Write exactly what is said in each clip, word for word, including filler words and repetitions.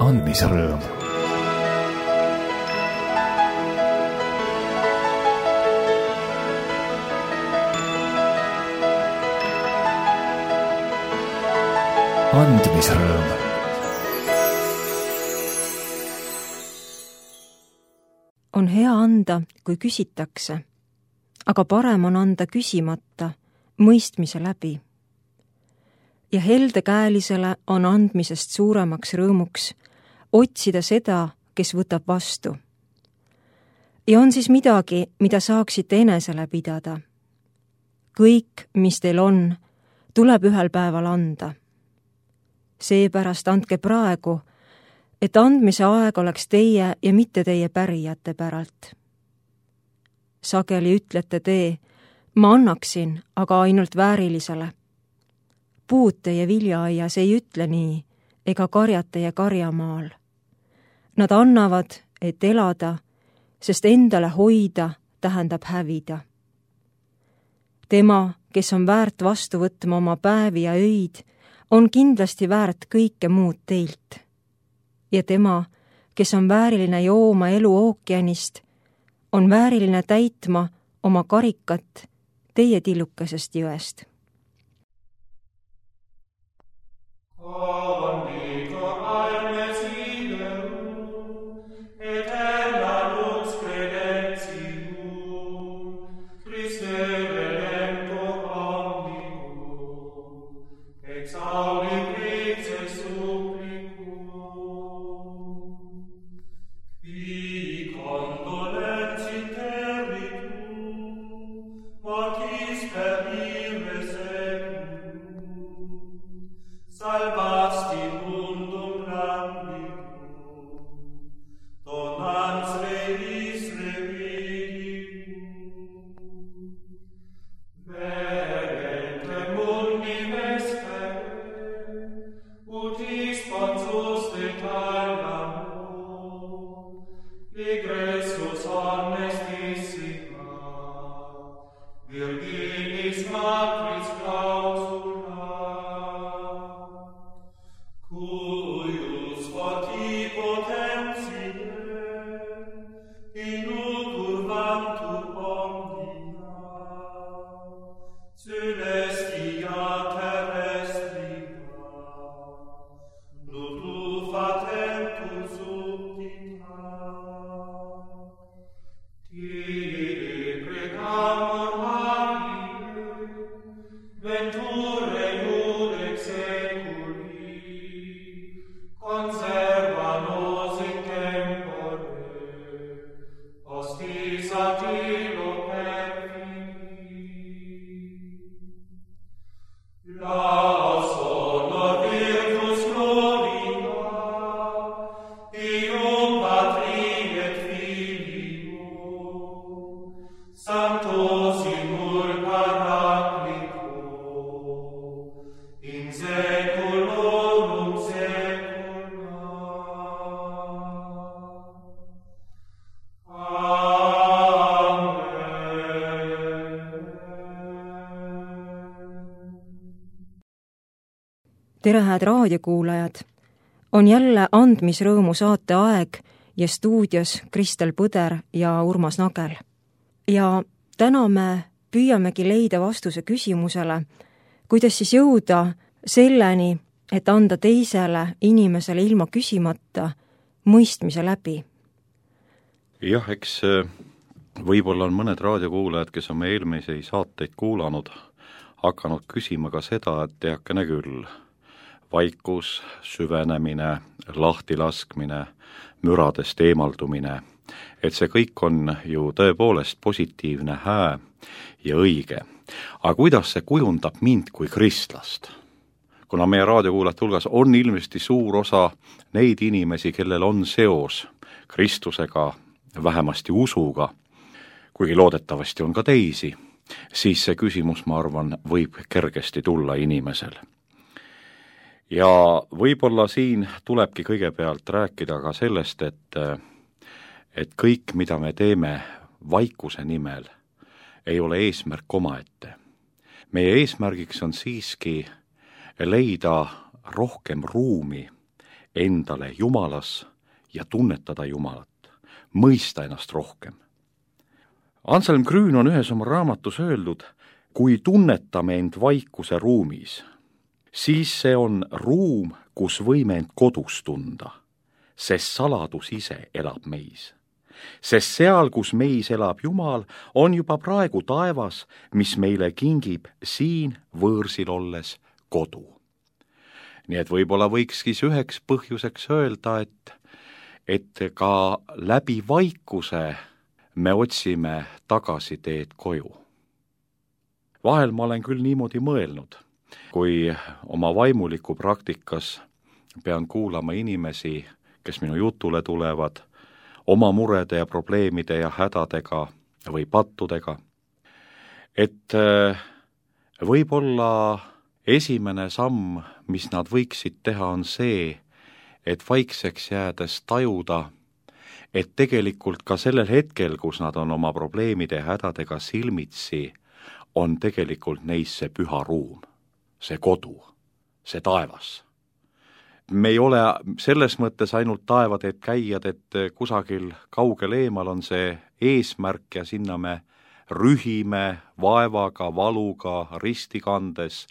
andmise rõõm. andmise rõõm. On hea anda, kui küsitakse, aga parem on anda küsimata, mõistmise läbi. Ja heldekäelisele on andmisest suuremaks rõõmuks otsida seda, kes võtab vastu. Ja on siis midagi, mida saaksite enesele pidada. Kõik, mis teil on, tuleb ühel päeval anda. Seepärast andke praegu, et andmise aeg oleks teie ja mitte teie pärijate päralt. Sageli ütlete te, ma annaksin, aga ainult väärilisele. Puud teie viljaaias ei ütle nii, ega karjad teie karjamaal. Nad annavad, et elada, sest endale hoida tähendab hävida. Tema, kes on väärt vastu võtma oma päevi ja öid, on kindlasti väärt kõike muud teilt. Ja tema, kes on vääriline jooma elu ookeanist, on vääriline täitma oma karikat teie tillukesest jõest. Tere, hääd raadiokuulajad! On jälle andmisrõõmu saate aeg ja stuudios Kristel Põder ja Urmas Nagel. Ja täna me püüamegi leida vastuse küsimusele, kuidas siis jõuda selleni, et anda teisele inimesele ilma küsimata mõistmise läbi. Jah, eks võib-olla on mõned raadiokuulajad, kes on meie eelmisi saateid kuulanud, hakanud küsima ka seda, et teakene küll, vaikus, süvenemine, lahtilaskmine, müradest eemaldumine, et see kõik on ju tõepoolest positiivne, hää ja õige. Aga kuidas see kujundab mind kui kristlast? Kuna meie raadiokuulajate hulgas on ilmesti suur osa neid inimesi, kellel on seos Kristusega, vähemasti usuga, kuigi loodetavasti on ka teisi, siis see küsimus, ma arvan, võib kergesti tulla inimesel. Ja võib-olla siin tulebki kõigepealt rääkida ka sellest, et, et kõik, mida me teeme vaikuse nimel, ei ole eesmärk omaette. Meie eesmärgiks on siiski leida rohkem ruumi endale Jumalas ja tunnetada Jumalat, mõista ennast rohkem. Anselm Grün on ühes oma raamatus öeldud, kui tunnetame end vaikuse ruumis, siis see on ruum, kus võime end kodus tunda, sest saladus ise elab meis. Sest seal, kus meis elab Jumal, on juba praegu taevas, mis meile kingib siin võõrsil olles kodu. Nii et võib-olla võikski üheks põhjuseks öelda, et, et ka läbi vaikuse me otsime tagasiteed koju. Vahel ma olen küll niimoodi mõelnud, kui oma vaimuliku praktikas pean kuulama inimesi, kes minu jutule tulevad, oma murede ja probleemide ja hädadega või pattudega, et võib-olla esimene samm, mis nad võiksid teha, on see, et vaikseks jäädes tajuda, et tegelikult ka sellel hetkel, kus nad on oma probleemide ja hädadega silmitsi, on tegelikult neis see püha ruum, see kodu, see taevas. Me ei ole selles mõttes ainult taevateed käijad, et kusagil kaugel eemal on see eesmärk ja sinna me rühime vaevaga, valuga, ristikandes,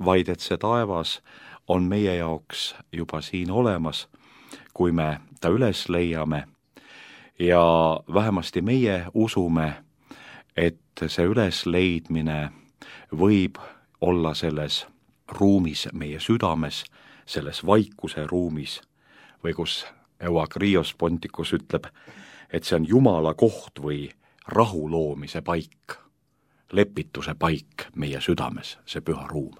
vaid et see taevas on meie jaoks juba siin olemas, kui me ta üles leiame ja vähemasti meie usume, et see ülesleidmine võib olla selles ruumis meie südames, selles vaikuse ruumis või kus Euagrios Ponticus ütleb, et see on Jumala koht või rahu loomise paik, lepituse paik meie südames, see püha ruum.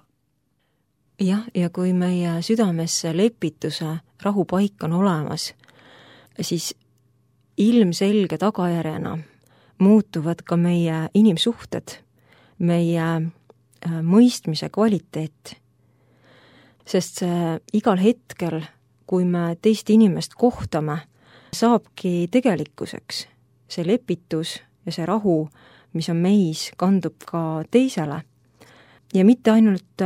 Jah, ja kui meie südames lepituse rahupaik on olemas, siis ilmselge tagajärjena muutuvad ka meie inimsuhted, meie mõistmise kvaliteet. Sest see igal hetkel, kui me teist inimest kohtame, saabki tegelikkuseks. See lepitus ja see rahu, mis on meis, kandub ka teisele. Ja mitte ainult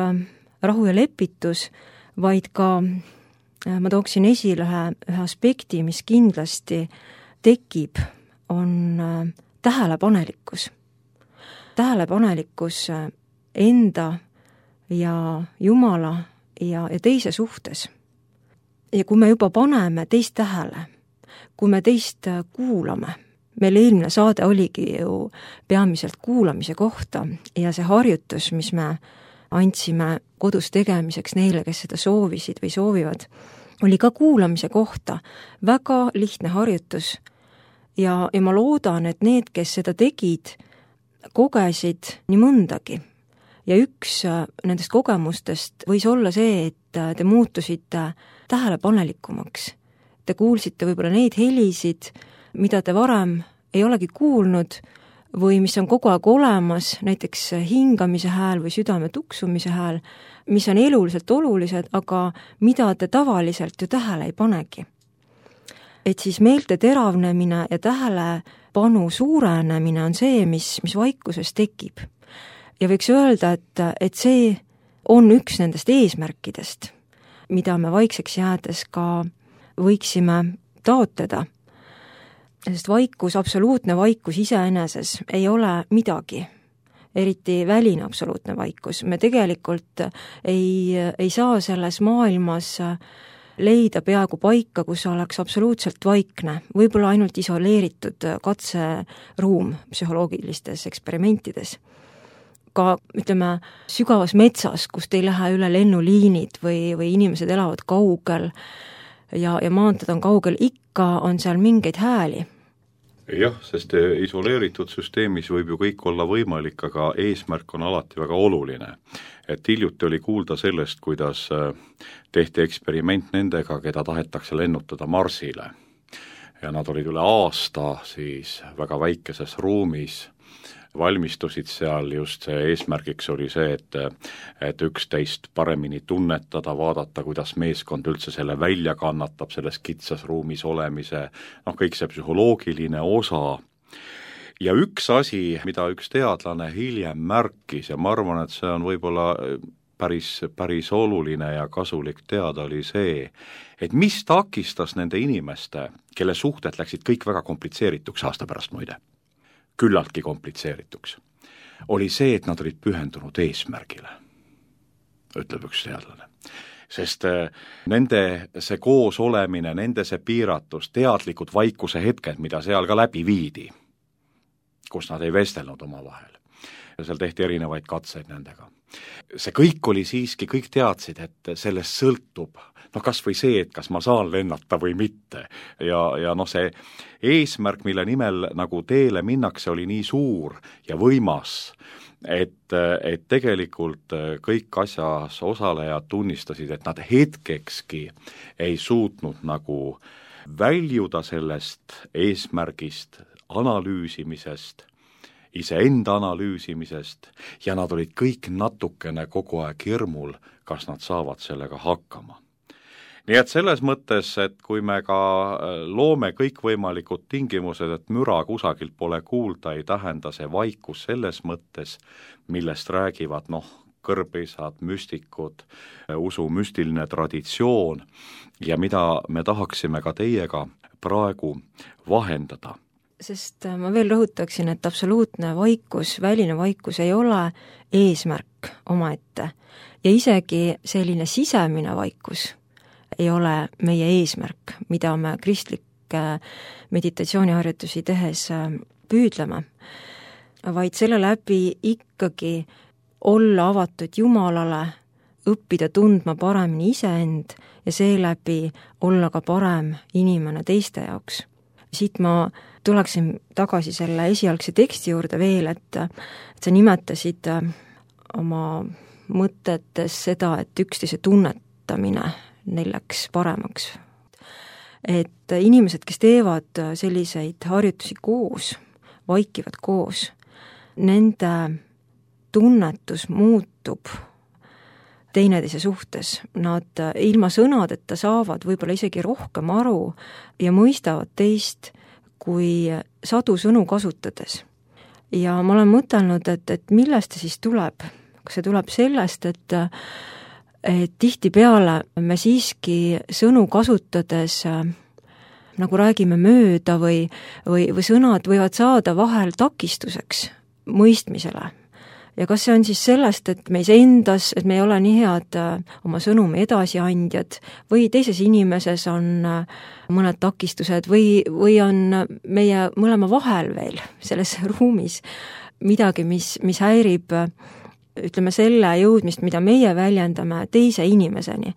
rahu ja lepitus, vaid ka ma tooksin esile ühe, ühe aspekti, mis kindlasti tekib, on tähelepanelikkus. Tähelepanelikkus enda ja Jumala ja, ja teise suhtes. Ja kui me juba paneme teist tähele, kui me teist kuulame, meil eelmine saade oligi ju peamiselt kuulamise kohta ja see harjutus, mis me andsime kodus tegemiseks neile, kes seda soovisid või soovivad, oli ka kuulamise kohta väga lihtne harjutus ja, ja ma loodan, et need, kes seda tegid, kogesid nii mõndagi. Ja üks nendest kogemustest võis olla see, et te muutusite tähelepanelikumaks. Te kuulsite võib-olla neid helisid, mida te varem ei olegi kuulnud või mis on kogu aeg olemas, näiteks hingamise hääl või südame tuksumise hääl, mis on eluliselt olulised, aga mida te tavaliselt ju tähele ei panegi. Et siis meelte teravnemine ja tähelepanu suurenemine on see, mis, mis vaikuses tekib. Ja võiks öelda, et, et see on üks nendest eesmärkidest, mida me vaikseks jäädes ka võiksime taotleda. Sest vaikus, absoluutne vaikus iseeneses ei ole midagi, eriti väline absoluutne vaikus. Me tegelikult ei, ei saa selles maailmas leida peaaegu paika, kus oleks absoluutselt vaikne, võib-olla ainult isoleeritud katseruum psühholoogilistes eksperimentides. Ka, ütleme, sügavas metsas, kust ei lähe üle lennuliinid või, või inimesed elavad kaugel ja, ja maanted on kaugel, ikka on seal mingeid hääli. Jah, sest isoleeritud süsteemis võib ju kõik olla võimalik, aga eesmärk on alati väga oluline. Et hiljuti oli kuulda sellest, kuidas tehti eksperiment nendega, keda tahetakse lennutada Marsile. Ja nad olid üle aasta siis väga väikeses ruumis, valmistusid seal, just see eesmärgiks oli see, et, et üksteist paremini tunnetada, vaadata, kuidas meeskond üldse selle välja kannatab, selles kitsas ruumis olemise, noh, kõik see psühholoogiline osa. Ja üks asi, mida üks teadlane hiljem märkis, ja ma arvan, et see on võib-olla päris, päris oluline ja kasulik teada, oli see, et mis takistas nende inimeste, kelle suhted läksid kõik väga komplitseerituks aasta pärast muide, küllaltki komplitseerituks, oli see, et nad olid pühendunud eesmärgile, ütleb üks teadlane. Sest nende see koos olemine, nende see piiratus, teadlikud vaikuse hetked, mida seal ka läbi viidi, kus nad ei vestelnud omavahel. Ja seal tehti erinevaid katseid nendega. See kõik oli siiski, kõik teadsid, et sellest sõltub, noh kas või see, et kas ma saan lennata või mitte. Ja, ja noh, see eesmärk, mille nimel nagu teele minnakse, oli nii suur ja võimas, et, et tegelikult kõik asjas osalejad tunnistasid, et nad hetkekski ei suutnud nagu väljuda sellest eesmärgist, analüüsimisest, iseenda analüüsimisest ja nad olid kõik natukene kogu aeg hirmul, kas nad saavad sellega hakkama. Nii et selles mõttes, et kui me ka loome kõikvõimalikud tingimused, et müra kusagilt pole kuulda, ei tähenda see vaikus selles mõttes, millest räägivad noh, kõrbeisad, müstikud, usu müstiline traditsioon ja mida me tahaksime ka teiega praegu vahendada. Sest ma veel rõhutaksin, et absoluutne vaikus, väline vaikus ei ole eesmärk omaette ja isegi selline sisemine vaikus ei ole meie eesmärk, mida me kristlikke meditatsiooniharjutusi tehes püüdleme, vaid selle läbi ikkagi olla avatud Jumalale, õppida tundma paremini iseend ja seeläbi olla ka parem inimene teiste jaoks. Siit ma tuleksin tagasi selle esialgse teksti juurde veel, et, et sa nimetasid oma mõtetes seda, et üksteise tunnetamine neil läks paremaks. Et inimesed, kes teevad selliseid harjutusi koos, vaikivad koos, nende tunnetus muutub teineteise suhtes. Nad ilma sõnadeta saavad võib-olla isegi rohkem aru ja mõistavad teist kui sadu sõnu kasutades. Ja ma olen mõtelnud, et, et millest see siis tuleb? Kas see tuleb sellest, et, et tihtipeale me siiski sõnu kasutades nagu räägime mööda või, või, või sõnad võivad saada vahel takistuseks mõistmisele. Ja kas see on siis sellest, et meis endas, et me ei ole nii head oma sõnumi edasiandjad või teises inimeses on mõned takistused või, või on meie mõlema vahel veel selles ruumis midagi, mis, mis häirib, ütleme, selle jõudmist, mida meie väljendame teise inimeseni.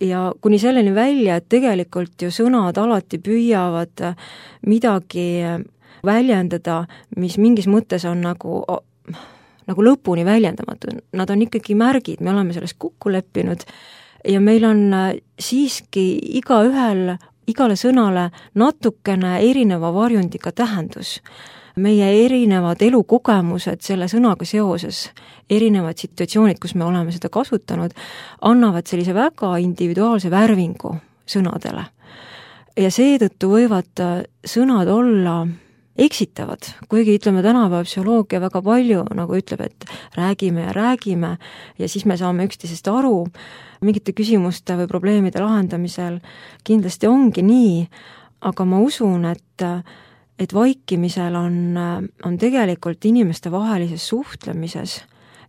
Ja kuni selleni välja, et tegelikult ju sõnad alati püüavad midagi väljendada, mis mingis mõttes on nagu nagu lõpuni väljendamatu. Nad on ikkagi märgid, me oleme sellest kokku leppinud ja meil on siiski igaühel, igale sõnale natukene erineva varjundiga tähendus. Meie erinevad elukogemused selle sõnaga seoses, erinevad situatsioonid, kus me oleme seda kasutanud, annavad sellise väga individuaalse värvingu sõnadele. Ja seetõttu võivad sõnad olla eksitavad, kuigi ütleme tänapäeva psühholoogia väga palju nagu ütleb, et räägime ja räägime ja siis me saame üksteisest aru, mingite küsimuste või probleemide lahendamisel kindlasti ongi nii, aga ma usun, et, et vaikimisel on, on tegelikult inimeste vahelises suhtlemises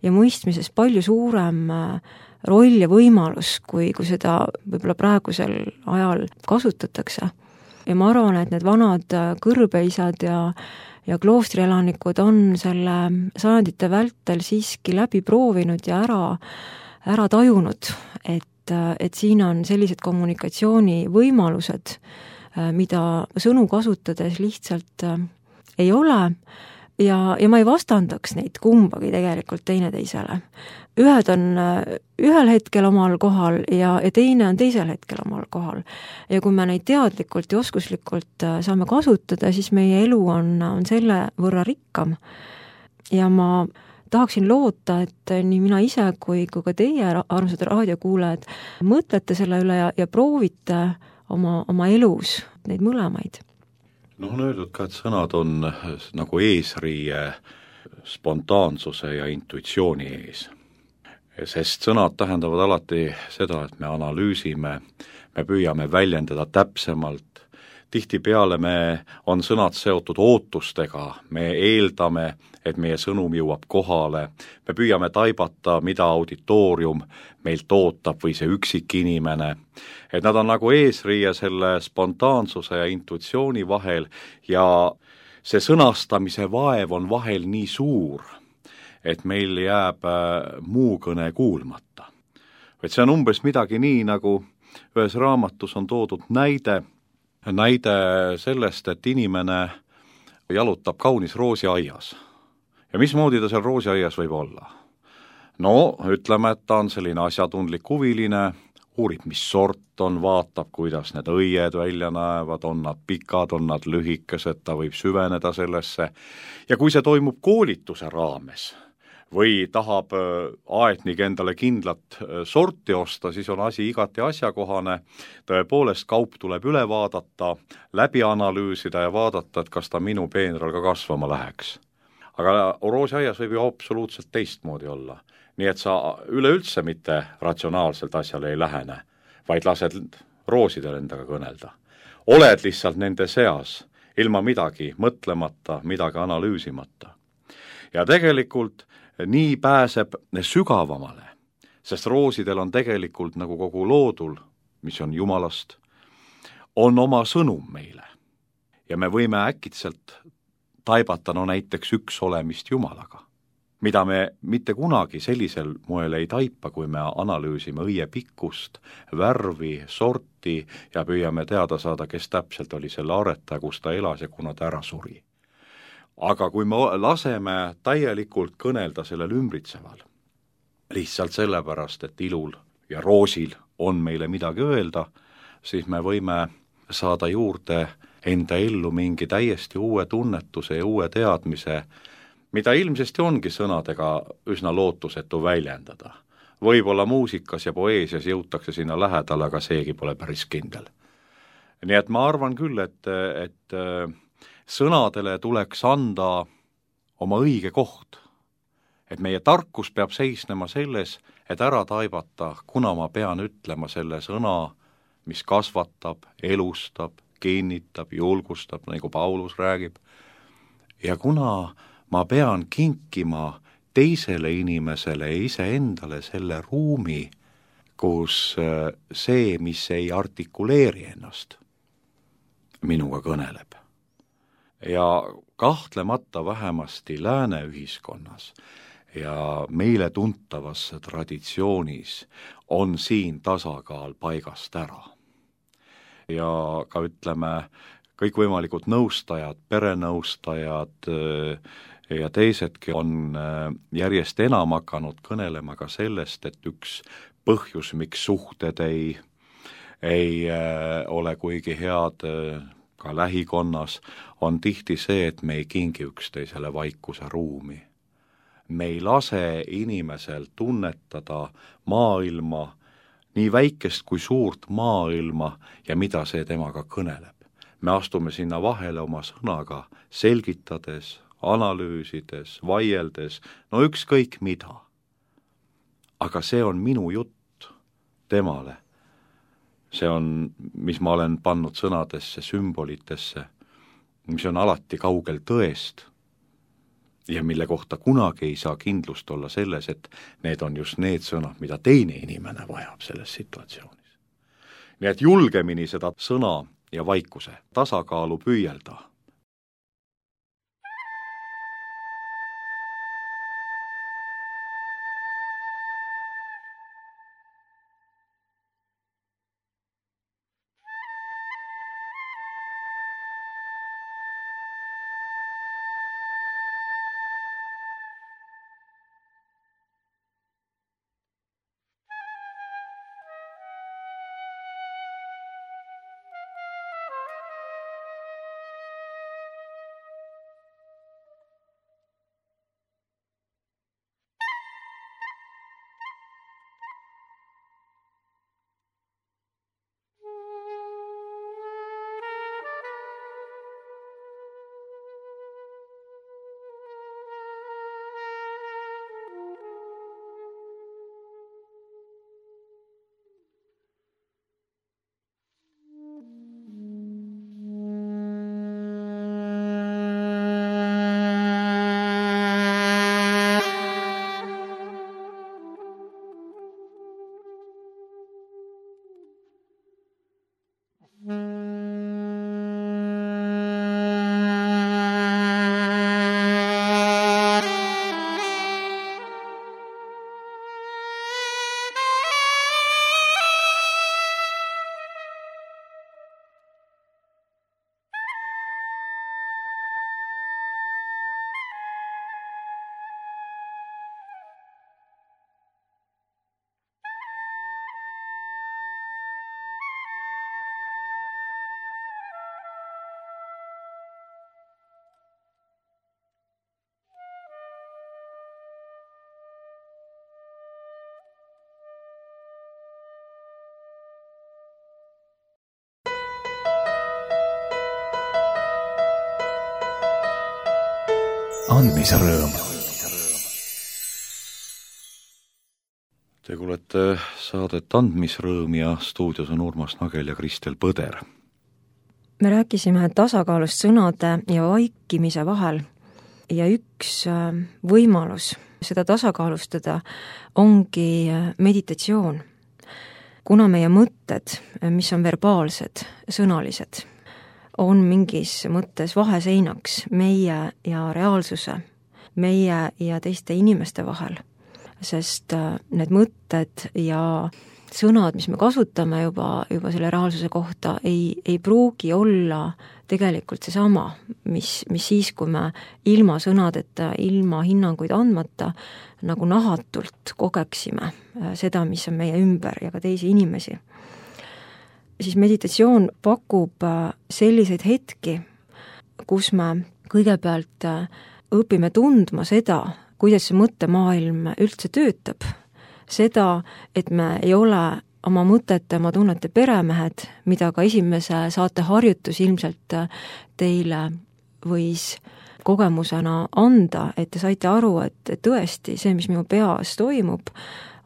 ja mõistmises palju suurem roll ja võimalus, kui, kui seda võib-olla praegusel ajal kasutatakse. Ja ma arvan, et need vanad kõrbeisad ja, ja kloostrielanikud on selle sajandite vältel siiski läbi proovinud ja ära, ära tajunud, et, et siin on sellised kommunikatsioonivõimalused, mida sõnu kasutades lihtsalt ei ole ja, ja ma ei vastandaks neid kumbagi tegelikult teineteisele. Ühed on ühel hetkel omal kohal ja, ja teine on teisel hetkel omal kohal. Ja kui me neid teadlikult ja oskuslikult saame kasutada, siis meie elu on, on selle võrra rikkam. Ja ma tahaksin loota, et nii mina ise kui, kui ka teie armsad raadiokuulajad mõtlete selle üle ja, ja proovite oma, oma elus neid mõlemaid. No on öeldud ka, et sõnad on nagu eesriie spontaansuse ja intuitsiooni ees. sest sõnad tähendavad alati seda, et me analüüsime, me püüame väljendada täpsemalt, tihtipeale me, on sõnad seotud ootustega, me eeldame, et meie sõnum jõuab kohale, me püüame taibata, mida auditoorium meilt ootab või see üksik inimene, et nad on nagu eesriie selle spontaansuse ja intuitsiooni vahel ja see sõnastamise vaev on vahel nii suur, et meil jääb muu kõne kuulmata. Et see on umbes midagi nii, nagu ühes raamatus on toodud näide, näide sellest, et inimene jalutab kaunis roosiaias. Ja mismoodi ta seal roosiaias võib olla? No, ütleme, et ta on selline asjatundlik huviline, uurib, mis sort on, vaatab, kuidas need õied välja näevad, on nad pikad, on nad lühikesed, ta võib süveneda sellesse. Ja kui see toimub koolituse raames, või tahab aetnik endale kindlat sorti osta, siis on asi igati asjakohane, tõepoolest kaup tuleb üle vaadata, läbi analüüsida ja vaadata, et kas ta minu peenral ka kasvama läheks. Aga roosiaias võib ju absoluutselt teistmoodi olla, nii et sa üleüldse mitte ratsionaalselt asjale ei lähene, vaid lased roosidel endaga kõnelda. Oled lihtsalt nende seas, ilma midagi mõtlemata, midagi analüüsimata. Ja tegelikult nii pääseb sügavamale, sest roosidel on tegelikult nagu kogu loodul, mis on Jumalast, on oma sõnum meile. Ja me võime äkitselt taibata no näiteks üks olemist Jumalaga, mida me mitte kunagi sellisel moel ei taipa, kui me analüüsime õie pikkust, värvi, sorti ja püüame teada saada, kes täpselt oli selle aretaja, kus ta elas ja kuna ta ära suri. Aga kui me laseme täielikult kõnelda sellel ümbritseval, lihtsalt sellepärast, et ilul ja roosil on meile midagi öelda, siis me võime saada juurde enda ellu mingi täiesti uue tunnetuse ja uue teadmise, mida ilmsesti ongi sõnadega üsna lootusetu väljendada. Võib-olla muusikas ja poeesias jõutakse sinna lähedal, aga seegi pole päris kindel. Nii et ma arvan küll, et, et sõnadele tuleks anda oma õige koht. Et meie tarkus peab seisnema selles, et ära taibata, kuna ma pean ütlema selle sõna, mis kasvatab, elustab, kinnitab, julgustab, nagu Paulus räägib. Ja kuna ma pean kinkima teisele inimesele ja iseendale selle ruumi, kus see, mis ei artikuleeri ennast, minuga kõneleb. Ja kahtlemata vähemasti lääne ühiskonnas ja meile tuntavas traditsioonis on siin tasakaal paigast ära. Ja ka ütleme, kõikvõimalikud nõustajad, perenõustajad ja teisedki on järjest enam hakanud kõnelema ka sellest, et üks põhjus, miks suhted ei, ei ole kuigi head ka lähikonnas, on tihti see, et me ei kingi üksteisele vaikuse ruumi. Me ei lase inimesel tunnetada maailma, nii väikest kui suurt maailma ja mida see temaga kõneleb. Me astume sinna vahele oma sõnaga, selgitades, analüüsides, vaieldes, no ükskõik mida. Aga see on minu jutt temale. See on, mis ma olen pannud sõnadesse, sümbolitesse, mis on alati kaugel tõest ja mille kohta kunagi ei saa kindlust olla selles, et need on just need sõnad, mida teine inimene vajab selles situatsioonis. Nii et julgemini seda sõna ja vaikuse tasakaalu püüelda. andmise rõõm. Te kuulete saadet Andmisrõõm ja stuudios on Urmas Nagel ja Kristel Põder. Me rääkisime tasakaalust sõnade ja vaikimise vahel ja üks võimalus seda tasakaalustada ongi meditatsioon. Kuna meie mõtted, mis on verbaalsed, sõnalised, on mingis mõttes vaheseinaks meie ja reaalsuse, meie ja teiste inimeste vahel, sest need mõtted ja sõnad, mis me kasutame juba, juba selle reaalsuse kohta, ei, ei pruugi olla tegelikult seesama, mis, mis siis, kui me ilma sõnadeta, ilma hinnanguid andmata, nagu nahatult kogeksime seda, mis on meie ümber ja ka teisi inimesi. Siis meditatsioon pakub selliseid hetki, kus me kõigepealt õpime tundma seda, kuidas see mõttemaailm üldse töötab. Seda, et me ei ole oma mõtete, oma tunnete peremehed, mida ka esimese saate harjutus ilmselt teile võis kogemusena anda, et te saite aru, et tõesti see, mis minu peas toimub,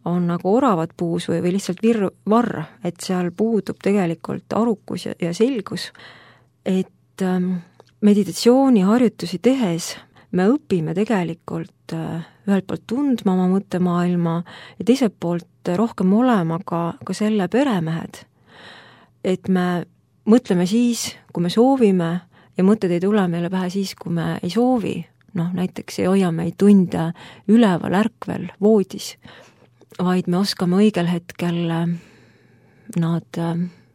on nagu oravad puus või, või lihtsalt vir, varr, et seal puudub tegelikult arukus ja, ja selgus, et ähm, meditatsiooniharjutusi tehes me õpime tegelikult ühelt poolt tundma oma mõttemaailma ja teiselt poolt rohkem olema ka, ka selle peremehed. Et me mõtleme siis, kui me soovime ja mõtted ei tule meile pähe siis, kui me ei soovi. Noh, näiteks ei hoia meid tunde üleval ärkvel voodis, vaid me oskame õigel hetkel nad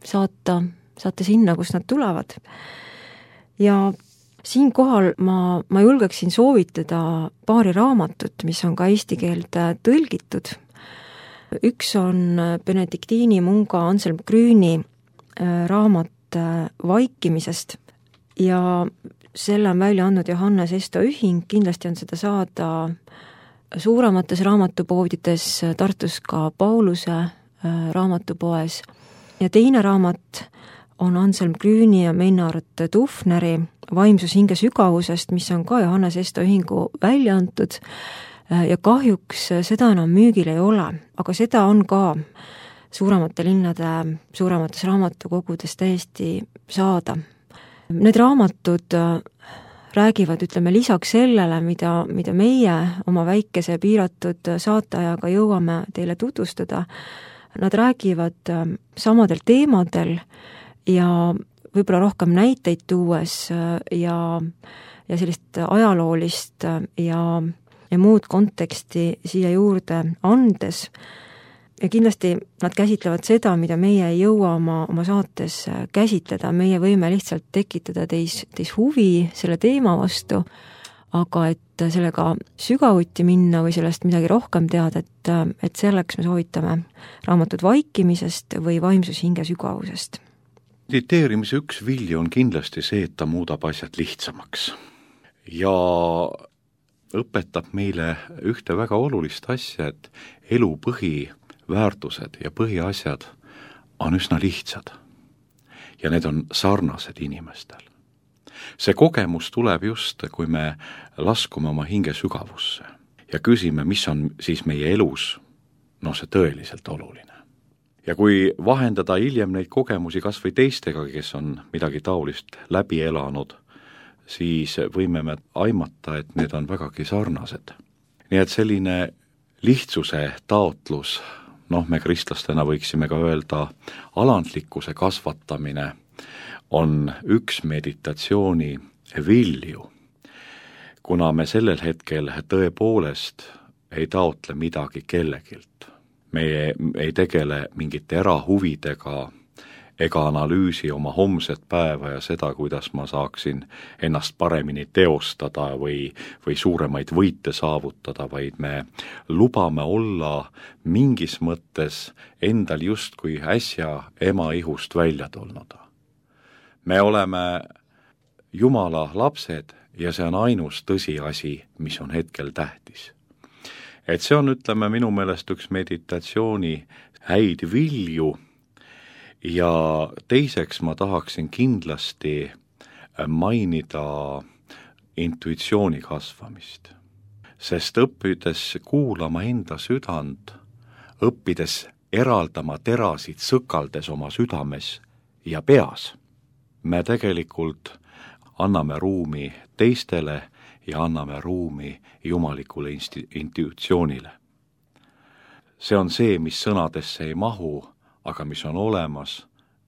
saata, saata sinna, kus nad tulevad. Ja siinkohal ma, ma julgeksin soovitada paari raamatut, mis on ka eesti keelde tõlgitud. Üks on Benediktiini munga Anselm Grüni raamat Vaikimisest ja selle on välja andnud Johannes Esto Ühing, kindlasti on seda saada suuremates raamatupoodides, Tartus ka Pauluse raamatupoes. Ja teine raamat on Anselm Grüni ja Meinhard Dufneri Vaimsus hinge sügavusest, mis on ka Johannes Esto Ühingu välja antud ja kahjuks seda enam müügil ei ole, aga seda on ka suuremate linnade, suuremates raamatukogudes täiesti saada. Need raamatud räägivad, ütleme, lisaks sellele, mida, mida meie oma väikese piiratud saateajaga jõuame teile tutvustada, nad räägivad samadel teemadel ja võib-olla rohkem näiteid tuues ja, ja sellist ajaloolist ja, ja muud konteksti siia juurde andes. Ja kindlasti nad käsitlevad seda, mida meie ei jõua oma, oma saates käsitleda. Meie võime lihtsalt tekitada teis, teis huvi selle teema vastu, aga et sellega sügavuti minna või sellest midagi rohkem teada, et, et selleks me soovitame raamatut Vaikimisest või Vaimsus hinge sügavusest. Mediteerimise üks vilju on kindlasti see, et ta muudab asjad lihtsamaks ja õpetab meile ühte väga olulist asja, et elu põhiväärtused ja põhiasjad on üsna lihtsad ja need on sarnased inimestel. See kogemus tuleb just, kui me laskume oma hinge sügavusse ja küsime, mis on siis meie elus, no see tõeliselt oluline. Ja kui vahendada hiljem neid kogemusi kas või teistega, kes on midagi taolist läbi elanud, siis võime me aimata, et need on vägagi sarnased. Nii et selline lihtsuse taotlus, noh, me kristlastena võiksime ka öelda, alandlikkuse kasvatamine on üks meditatsiooni vilju, kuna me sellel hetkel tõepoolest ei taotle midagi kellegilt. Me ei tegele mingite erahuvidega ega analüüsi oma homset päeva ja seda, kuidas ma saaksin ennast paremini teostada või, või suuremaid võite saavutada, vaid me lubame olla mingis mõttes endal justkui äsja ema ihust välja tulnud. Me oleme Jumala lapsed ja see on ainus tõsiasi, mis on hetkel tähtis. Et see on, ütleme, minu meelest üks meditatsiooni häid vilju ja teiseks ma tahaksin kindlasti mainida intuitsiooni kasvamist. Sest õppides kuulama enda südant, õppides eraldama terasid sõkaldes oma südames ja peas, me tegelikult anname ruumi teistele ja anname ruumi jumalikule insti- intuitsioonile. See on see, mis sõnadesse ei mahu, aga mis on olemas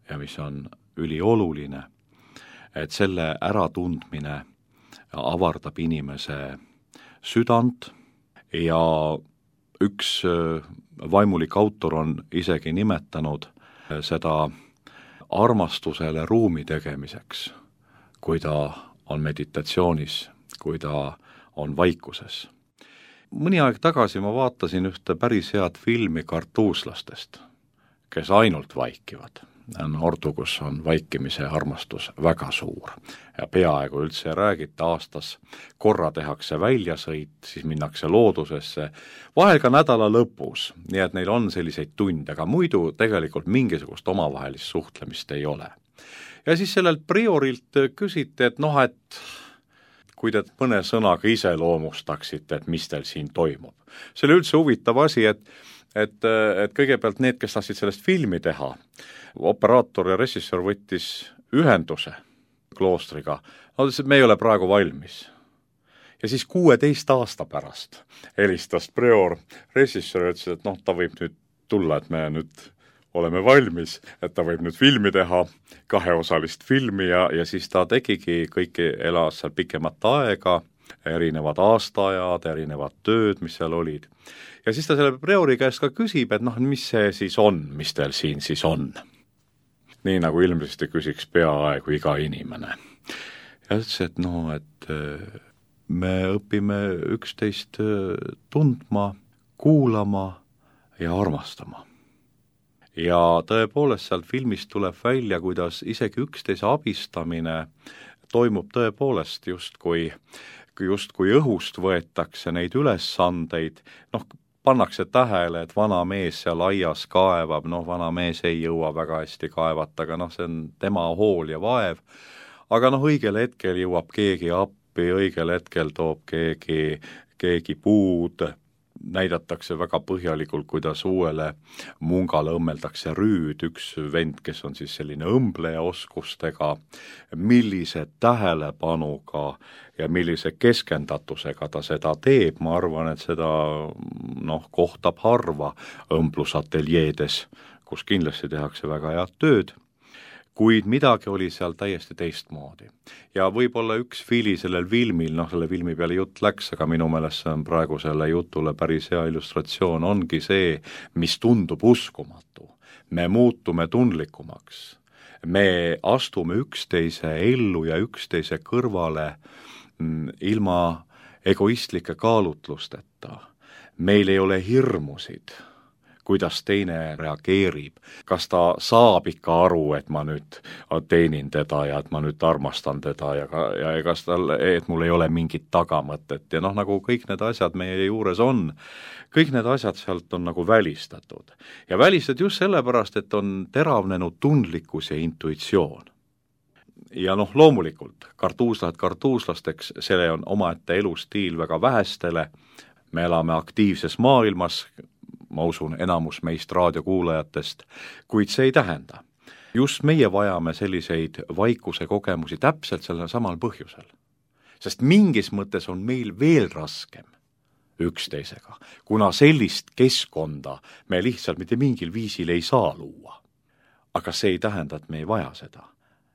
ja mis on ülioluline, et selle äratundmine avardab inimese südant ja üks vaimulik autor on isegi nimetanud seda armastusele ruumi tegemiseks, kui ta on meditatsioonis, kui ta on vaikuses. Mõni aeg tagasi ma vaatasin ühte päris head filmi kartuuslastest, kes ainult vaikivad. On ordu, kus on vaikimise armastus väga suur ja peaaegu üldse ei räägita, aastas korra tehakse väljasõit, siis minnakse loodusesse, vahel ka nädala lõpus, nii et neil on selliseid tunde, aga muidu tegelikult mingisugust omavahelist suhtlemist ei ole. Ja siis sellelt priorilt küsiti, et noh, et kui te mõne sõnaga ise loomustaksite, et mis teil siin toimub. See oli üldse huvitav asi, et, et, et kõigepealt need, kes tahtsid sellest filmi teha, operaator ja režissöör võttis ühenduse kloostriga, no me ei ole praegu valmis. Ja siis kuueteist aasta pärast helistas prior režissöör ja ütles, et noh, ta võib nüüd tulla, et me nüüd oleme valmis, et ta võib nüüd filmi teha, kaheosalist filmi ja, ja siis ta tegigi, kõiki elas seal pikemat aega, erinevad aastaajad, erinevad tööd, mis seal olid. Ja siis ta selle priori käest ka küsib, et noh, mis see siis on, mis teil siin siis on. Nii nagu ilmselt küsiks peaaegu iga inimene. Ja ütles, et noh, et me õpime üksteist tundma, kuulama ja armastama. Ja tõepoolest sealt filmist tuleb välja, kuidas isegi üksteise abistamine toimub tõepoolest just kui, just kui õhust võetakse neid ülesandeid, noh, pannakse tähele, et vana mees seal aias kaevab, noh, vana mees ei jõua väga hästi kaevata, aga noh, see on tema hool ja vaev, aga noh, õigel hetkel jõuab keegi appi, õigel hetkel toob keegi, keegi puud, näidatakse väga põhjalikult, kuidas uuele mungale õmmeldakse rüüd, üks vend, kes on siis selline õmbleja oskustega, millise tähelepanuga ja millise keskendatusega ta seda teeb, ma arvan, et seda noh, kohtab harva õmblusateljeedes, kus kindlasti tehakse väga head tööd, kuid midagi oli seal täiesti teistmoodi. Ja võib-olla üks fili sellel filmil, noh, selle filmi peale jutt läks, aga minu meelest see on praegu selle jutule päris hea illustratsioon, ongi see, mis tundub uskumatu. Me muutume tundlikumaks. Me astume üksteise ellu ja üksteise kõrvale ilma egoistlike kaalutlusteta. Meil ei ole hirmusid, kuidas teine reageerib, kas ta saab ikka aru, et ma nüüd teenin teda ja et ma nüüd armastan teda ja, ja kas tal, et mul ei ole mingit tagamõtet ja noh, nagu kõik need asjad meie juures on, kõik need asjad sealt on nagu välistatud. Ja välistatud just sellepärast, et on teravnenud tundlikkus ja intuitsioon. Ja noh, loomulikult, kartuuslased kartuuslasteks, selle on omaette elustiil väga vähestele, me elame aktiivses maailmas, ma usun, enamus meist raadiokuulajatest, kuid see ei tähenda. Just meie vajame selliseid vaikuse kogemusi täpselt sellel samal põhjusel. Sest mingis mõttes on meil veel raskem üksteisega, kuna sellist keskkonda me lihtsalt mitte mingil viisil ei saa luua. Aga see ei tähenda, et me ei vaja seda.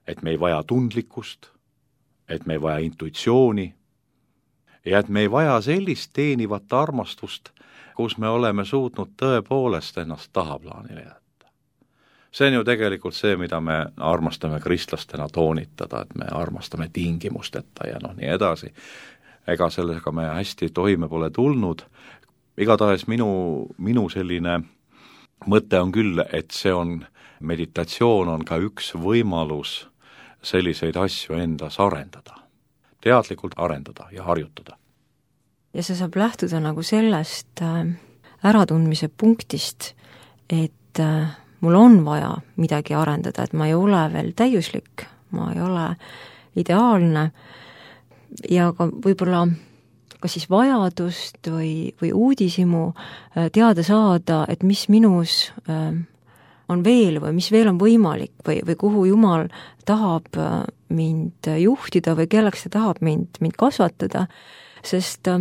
Et me ei vaja tundlikkust, et me ei vaja intuitsiooni ja et me ei vaja sellist teenivat armastust, kus me oleme suutnud tõepoolest ennast tahaplaanile jätta. See on ju tegelikult see, mida me armastame kristlastena toonitada, et me armastame tingimusteta ja noh, nii edasi. Ega sellega me hästi toime pole tulnud. Igatahes minu, minu selline mõte on küll, et see on, meditatsioon on ka üks võimalus selliseid asju endas arendada. Teadlikult arendada ja harjutada. Ja see saab lähtuda nagu sellest äratundmise punktist, et mul on vaja midagi arendada, et ma ei ole veel täiuslik, ma ei ole ideaalne, ja ka võib-olla kas siis vajadust või, või uudishimu teada saada, et mis minus on veel või mis veel on võimalik või, või kuhu Jumal tahab mind juhtida või kelleks ta tahab mind, mind kasvatada, sest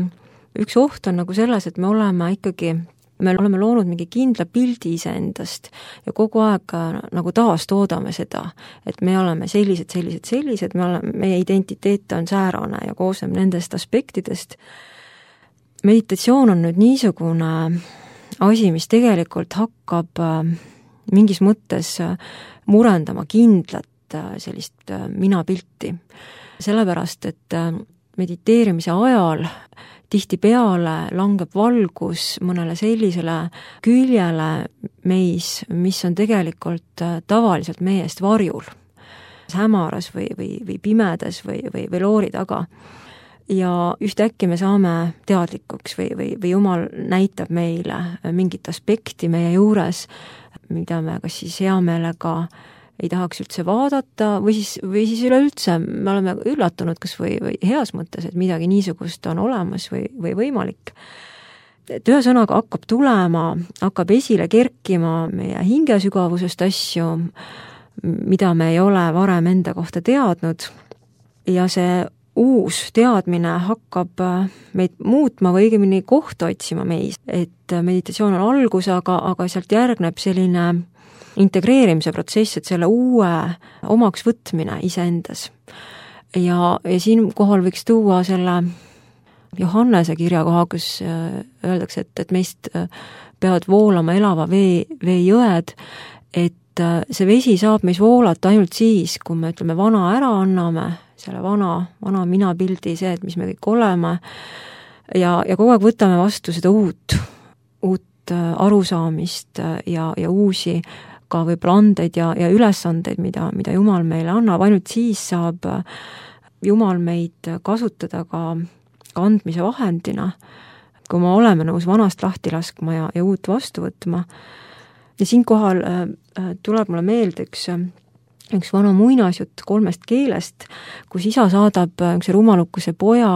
üks oht on nagu selles, et me oleme ikkagi, me oleme loonud mingi kindla pildi iseendast ja kogu aeg nagu taastoodame seda, et me oleme sellised, sellised, sellised, me oleme, meie identiteet on säärane ja koosneb nendest aspektidest. Meditatsioon on nüüd niisugune asi, mis tegelikult hakkab mingis mõttes murendama kindlat sellist minapilti. Sellepärast, et mediteerimise ajal tihtipeale langeb valgus mõnele sellisele küljele meis, mis on tegelikult tavaliselt meie eest varjul, hämaras või, või, või pimedas või, või, või loori taga. Ja ühtäkki me saame teadlikuks või, või, või Jumal näitab meile mingit aspekti meie juures, mida me kas siis hea meelega ei tahaks üldse vaadata või siis, või siis üleüldse me oleme üllatunud kas või, või heas mõttes, et midagi niisugust on olemas või, või võimalik. Et ühesõnaga hakkab tulema, hakkab esile kerkima meie hingesügavusest asju, mida me ei ole varem enda kohta teadnud ja see uus teadmine hakkab meid muutma või õigemini kohta otsima meis, et meditatsioon on algus, aga, aga sealt järgneb selline integreerimise protsess, et selle uue omaks võtmine iseendas. Ja, ja siinkohal võiks tuua selle Johannese kirjakoha, kus öeldakse, et, et meist peavad voolama elava vee, veejõed, et see vesi saab meis voolata ainult siis, kui me ütleme vana ära anname, selle vana, vana minapildi, see, et mis me kõik oleme, ja, ja kogu aeg võtame vastu seda uut, uut arusaamist ja, ja uusi ka võib-olla andeid ja, ja ülesandeid, mida, mida Jumal meile annab, ainult siis saab Jumal meid kasutada ka, ka andmise vahendina, kui me oleme nõus vanast lahti laskma ja, ja uut vastu võtma. Ja siinkohal äh, tuleb mulle meelde üks üks vana muinasjutt kolmest keelest, kus isa saadab üks rumalukuse poja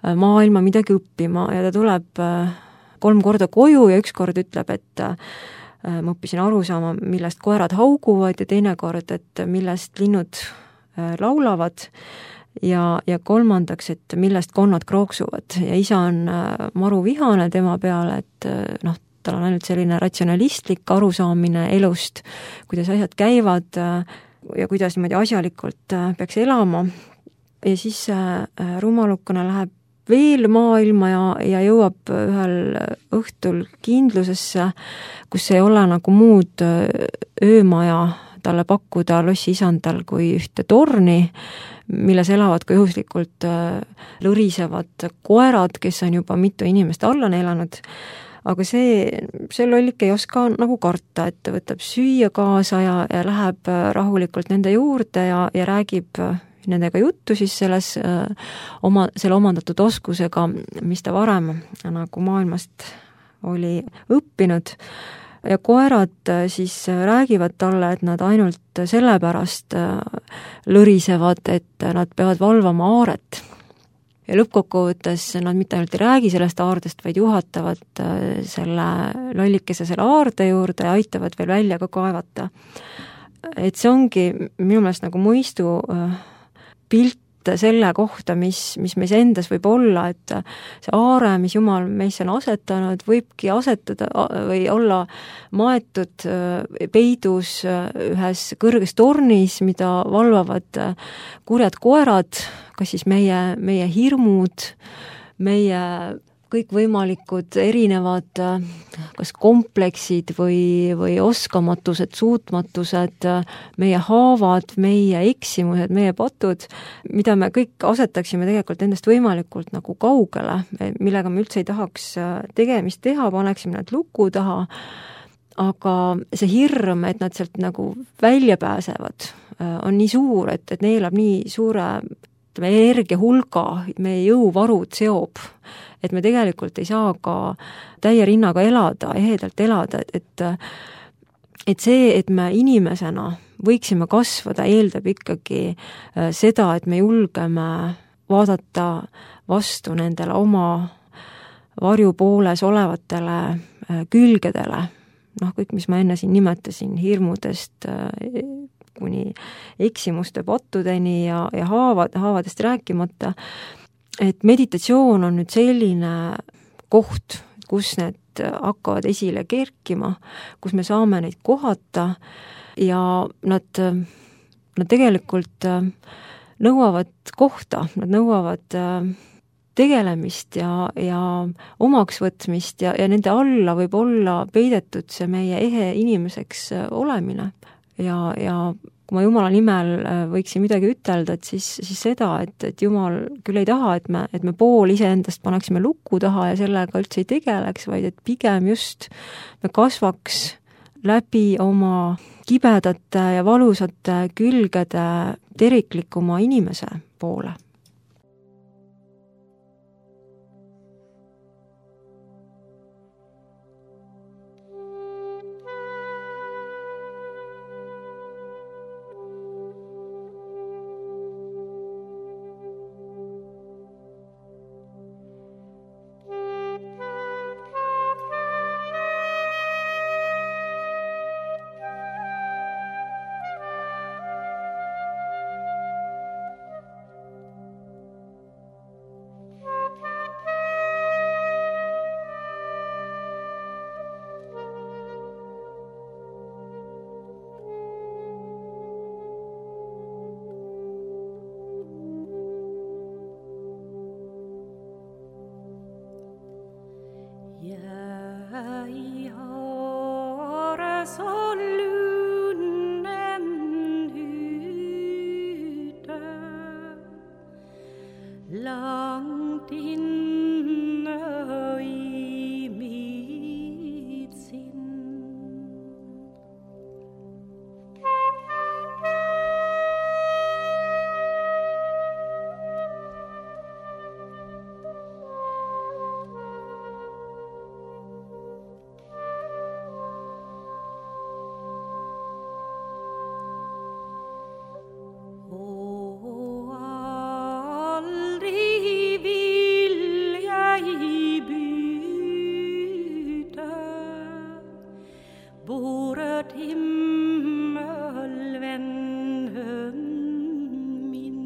maailma midagi õppima ja ta tuleb kolm korda koju ja üks kord ütleb, et ma õppisin aru saama, millest koerad hauguvad ja teine kord, et millest linnud laulavad ja, ja kolmandaks, et millest konnad krooksuvad ja isa on maru vihane tema peale, et noh, tal on ainult selline ratsionalistlik arusaamine elust, kuidas asjad käivad ja kuidas niimoodi asjalikult peaks elama. Ja siis rumalukene läheb veel maailma ja, ja jõuab ühel õhtul kindlusesse, kus ei ole nagu muud öömaja talle pakkuda lossi isandal kui ühte torni, milles elavad ka juhuslikult lõrisevad koerad, kes on juba mitu inimest alla neelanud. Aga see, see lollik ei oska nagu karta, et ta võtab süüa kaasa ja, ja läheb rahulikult nende juurde ja, ja räägib nendega juttu siis selles oma, selle omandatud oskusega, mis ta varem nagu maailmast oli õppinud. Ja koerad siis räägivad talle, et nad ainult sellepärast lõrisevad, et nad peavad valvama aaret. Ja lõppkokkuvõttes nad mitte ainult ei räägi sellest aardest, vaid juhatavad selle lollikese selle aarde juurde ja aitavad veel välja ka kaevata. Et see ongi minu meelest nagu mõistu pilt selle kohta, mis, mis meis endas võib olla, et see aare, mis Jumal meisse on asetanud, võibki asetada või olla maetud peidus ühes kõrges tornis, mida valvavad kurjad koerad, kas siis meie, meie hirmud, meie kõikvõimalikud erinevad kas kompleksid või, või oskamatused, suutmatused, meie haavad, meie eksimused, meie patud, mida me kõik asetaksime tegelikult endast võimalikult nagu kaugele, millega me üldse ei tahaks tegemist teha, paneksime nad luku taha, aga see hirm, et nad sealt nagu välja pääsevad, on nii suur, et, et neelab nii suure energia hulga, meie jõuvarud seob, et me tegelikult ei saa ka täie rinnaga elada, ehedalt elada, et, et see, et me inimesena võiksime kasvada, eeldab ikkagi seda, et me julgeme vaadata vastu nendele oma varjupooles olevatele külgedele, noh, kõik, mis ma enne siin nimetasin, hirmudest kuni eksimuste pattudeni ja, ja haavad, haavadest rääkimata, et meditatsioon on nüüd selline koht, kus need hakkavad esile kerkima, kus me saame neid kohata ja nad, nad tegelikult nõuavad kohta, nad nõuavad tegelemist ja, ja omaksvõtmist ja, ja nende alla võib olla peidetud see meie ehe inimeseks olemine. Ja, ja kui ma Jumala nimel võiksin midagi ütelda, et siis, siis seda, et, et Jumal küll ei taha, et me, et me pool iseendast paneksime luku taha ja sellega üldse ei tegeleks, vaid et pigem just me kasvaks läbi oma kibedate ja valusate külgede teriklikuma inimese poole. Jeg har så lunden ute, langt inne i mitt sinn. Bordet himmelvennen min.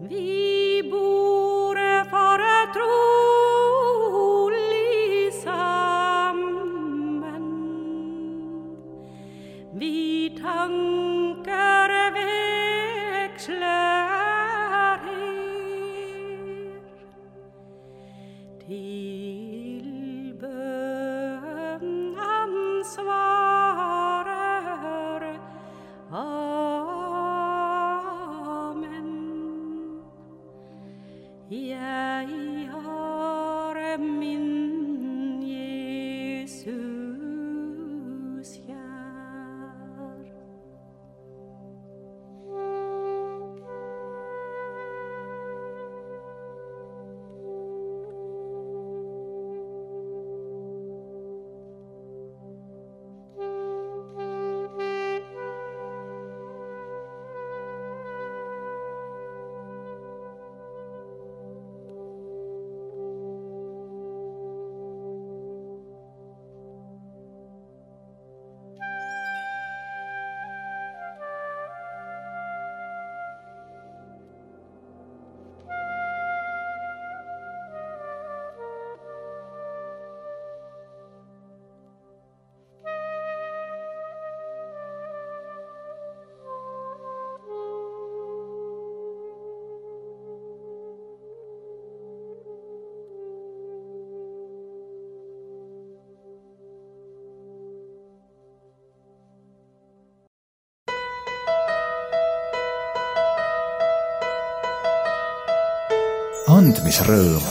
vi borde vara trolig sammen. Vi tankar växlar er till bön ansvarar. Amen. Jeg har min Jesus kjær. andmisrõõm.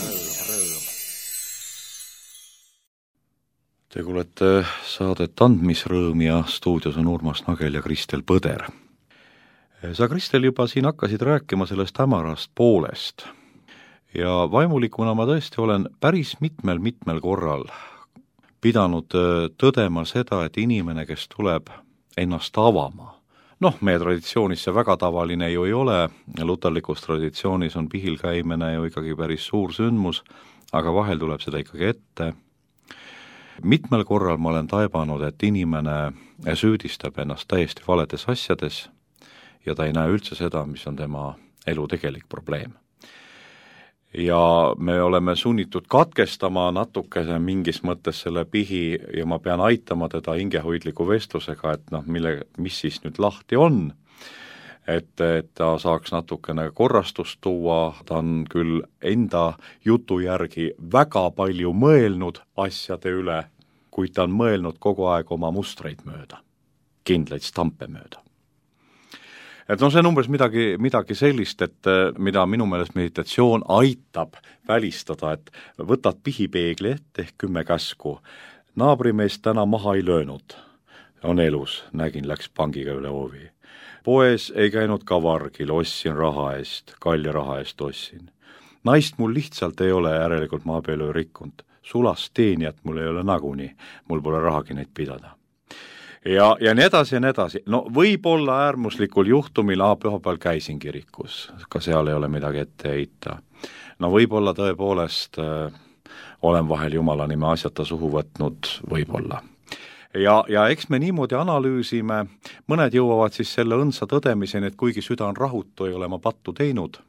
Te kuulete saadet Andmisrõõm ja stuudios on Urmas Nagel ja Kristel Põder. Sa, Kristel, juba siin hakkasid rääkima sellest hämarast poolest ja vaimulikuna ma tõesti olen päris mitmel-mitmel korral pidanud tõdema seda, et inimene, kes tuleb ennast avama, noh, meie traditsioonis see väga tavaline ju ei ole, luterlikus traditsioonis on pihil käimine ju ikkagi päris suur sündmus, aga vahel tuleb seda ikkagi ette. Mitmel korral ma olen taibanud, et inimene süüdistab ennast täiesti valedes asjades ja ta ei näe üldse seda, mis on tema elu tegelik probleem. Ja me oleme sunnitud katkestama natukese mingis mõttes selle pihi ja ma pean aitama teda hingehoidliku vestlusega, et noh, mille, mis siis nüüd lahti on, et, et ta saaks natukene korrastust tuua, ta on küll enda jutu järgi väga palju mõelnud asjade üle, kuid ta on mõelnud kogu aeg oma mustreid mööda, kindlaid stampe mööda. Et no see on umbes midagi, midagi sellist, et mida minu meelest meditatsioon aitab välistada, et võtad pihipeegli ette ehk kümme käsku. Naabrimeest täna maha ei löönud, on elus, nägin, läks pangiga üle hoovi. Poes ei käinud ka vargil, ostsin raha eest, kalja raha eest ostsin. Naist mul lihtsalt ei ole, järelikult ma abielu rikkunud. Sulast teenijat mul ei ole naguni, mul pole rahagi neid pidada. Ja, ja nii edasi ja nii edasi. No võib-olla äärmuslikul juhtumil A pühapäeval käisin kirikus, ka seal ei ole midagi ette heita. No võib-olla tõepoolest äh, olen vahel Jumala nime asjata suhu võtnud, võib-olla. Ja, ja eks me niimoodi analüüsime, mõned jõuavad siis selle õnsa tõdemiseni, et kuigi süda on rahutu, ei ole ma pattu teinud,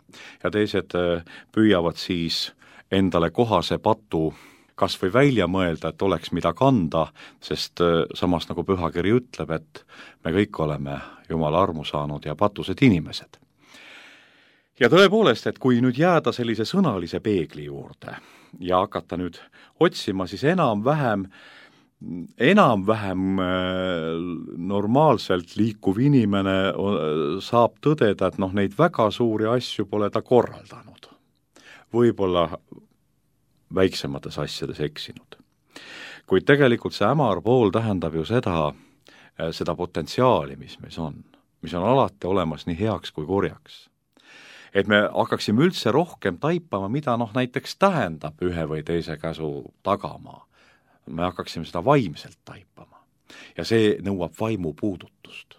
ja teised äh, püüavad siis endale kohase patu kas või välja mõelda, et oleks mida kanda, sest samas nagu pühakiri ütleb, et me kõik oleme Jumala armu saanud ja patused inimesed. Ja tõepoolest, et kui nüüd jääda sellise sõnalise peegli juurde ja hakata nüüd otsima, siis enam-vähem, enam-vähem normaalselt liikuv inimene saab tõdeda, et noh, neid väga suuri asju pole ta korraldanud. Võib-olla väiksemates asjades eksinud. Kuid tegelikult see hämar pool tähendab ju seda, seda potentsiaali, mis meis on, mis on alati olemas nii heaks kui kurjaks. Et me hakkaksime üldse rohkem taipama, mida noh näiteks tähendab ühe või teise käsu tagamaa. Me hakkaksime seda vaimselt taipama. Ja see nõuab vaimu puudutust.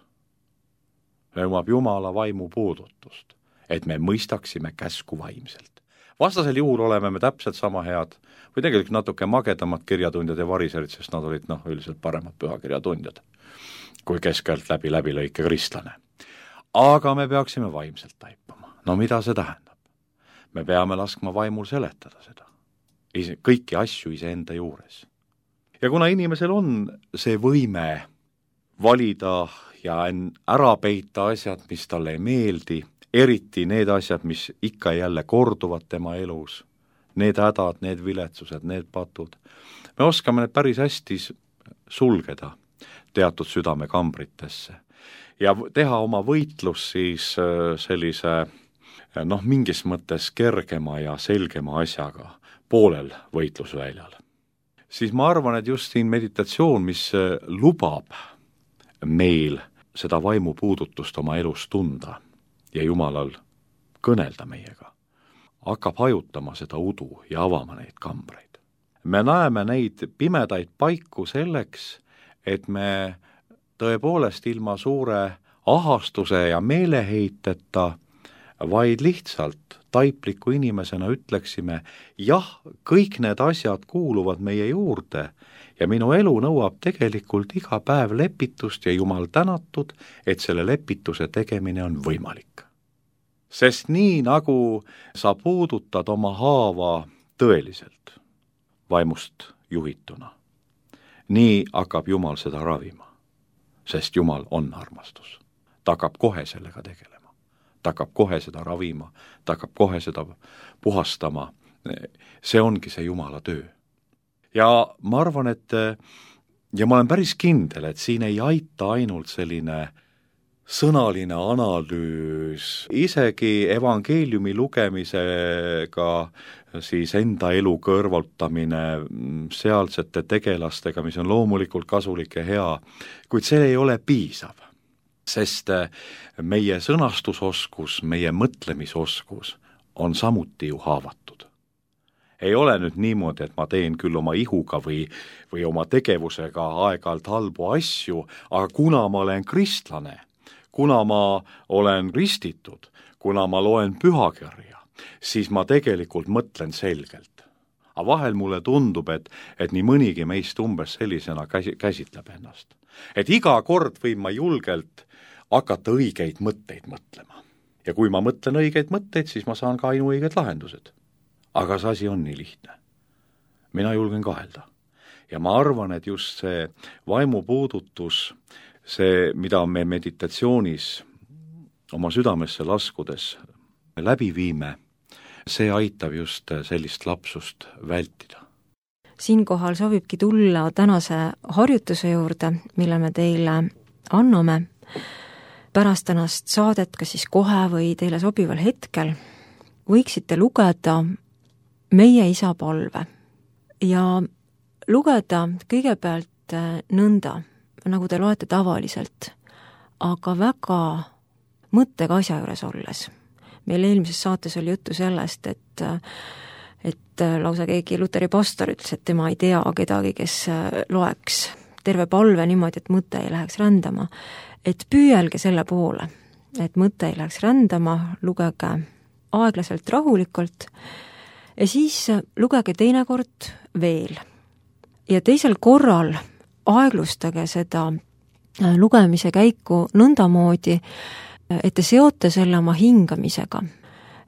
Nõuab Jumala vaimu puudutust, et me mõistaksime käsku vaimselt. Vastasel juhul oleme me täpselt sama head või tegelikult natuke magedamad kirjatundjad ja variserid, sest nad olid noh, üldiselt paremad pühakirjatundjad kui keskelt läbi läbi lõike kristlane. Aga me peaksime vaimselt taipama. No mida see tähendab? me peame laskma vaimul seletada seda, ise, kõiki asju iseenda juures. Ja kuna inimesel on see võime valida ja ära peita asjad, mis talle ei meeldi, eriti need asjad, mis ikka jälle korduvad tema elus, need hädad, need viletsused, need patud, me oskame need päris hästi sulgeda teatud südamekambritesse ja teha oma võitlus siis sellise noh, mingis mõttes kergema ja selgema asjaga poolel võitlusväljal. Siis ma arvan, et just siin meditatsioon, mis lubab meil seda vaimupuudutust oma elus tunda ja Jumalal kõnelda meiega, hakkab hajutama seda udu ja avama neid kambreid. Me näeme neid pimedaid paiku selleks, et me tõepoolest ilma suure ahastuse ja meeleheiteta, vaid lihtsalt taipliku inimesena ütleksime, jah, kõik need asjad kuuluvad meie juurde ja minu elu nõuab tegelikult iga päev lepitust ja Jumal tänatud, et selle lepituse tegemine on võimalik. Sest nii nagu sa puudutad oma haava tõeliselt, vaimust juhituna, nii hakkab Jumal seda ravima, sest Jumal on armastus. Ta hakkab kohe sellega tegelema, ta hakkab kohe seda ravima, ta hakkab kohe seda puhastama, see ongi see Jumala töö. Ja ma arvan, et ja ma olen päris kindel, et siin ei aita ainult selline sõnaline analüüs, isegi evangeeliumi lugemisega siis enda elu kõrvaltamine sealsete tegelastega, mis on loomulikult kasulik ja hea, kuid see ei ole piisav, sest meie sõnastusoskus, meie mõtlemisoskus on samuti ju haavatud. Ei ole nüüd niimoodi, et ma teen küll oma ihuga või, või oma tegevusega aeg-ajalt halbu asju, aga kuna ma olen kristlane, kuna ma olen ristitud, kuna ma loen pühakirja, siis ma tegelikult mõtlen selgelt. Aga vahel mulle tundub, et, et nii mõnigi meist umbes sellisena käsi, käsitleb ennast. Et iga kord võin ma julgelt hakata õigeid mõtteid mõtlema. Ja kui ma mõtlen õigeid mõtteid, siis ma saan ka ainuõiged lahendused. Aga see asi on nii lihtne. Mina julgen kahelda. Ja ma arvan, et just see vaimupuudutus, see, mida me meditatsioonis oma südamesse laskudes läbi viime, see aitab just sellist lapsust vältida. Siinkohal sobibki tulla tänase harjutuse juurde, mille me teile anname pärast tänast saadet, kas siis kohe või teile sobival hetkel, võiksite lugeda meie isa palve ja lugeda kõigepealt nõnda, nagu te loete tavaliselt, aga väga mõttega asja juures olles. Meil eelmises saates oli juttu sellest, et, et lausa keegi Luteri pastor ütles, et tema ei tea kedagi, kes loeks terve palve niimoodi, et mõte ei läheks rändama. Et püüelge selle poole, et mõte ei läheks rändama, lugege aeglaselt rahulikult ja siis lugege teinekord veel. Ja teisel korral aeglustage seda lugemise käiku nõndamoodi, et te seote selle oma hingamisega.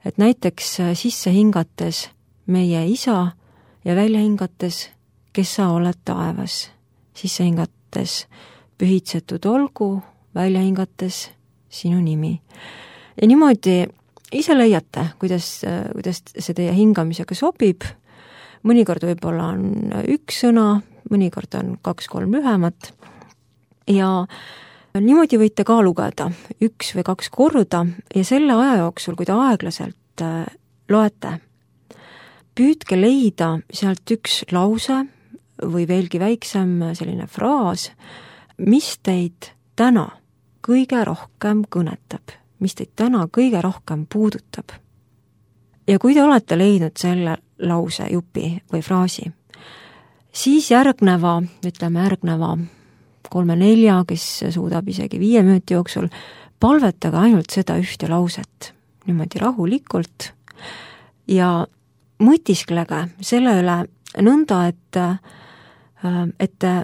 Et näiteks sisse hingates meie isa ja välja hingates, kes sa oled taevas. Sisse hingates pühitsetud olgu, välja hingates sinu nimi. Ja niimoodi ise leiate, kuidas, kuidas see teie hingamisega sobib. Mõnikord võib-olla on üks sõna, mõnikord on kaks-kolm lühemat ja niimoodi võite ka lugeda üks või kaks korda ja selle aja jooksul, kui te aeglaselt loete, püüdke leida sealt üks lause või veelgi väiksem selline fraas, mis teid täna kõige rohkem kõnetab, mis teid täna kõige rohkem puudutab. Ja kui te olete leidnud selle lause, jupi või fraasi, siis järgneva, ütleme järgneva kolme-nelja, kes suudab isegi viie minuti jooksul, palvetage ainult seda ühte lauset, niimoodi rahulikult ja mõtisklege selle üle nõnda, et, et te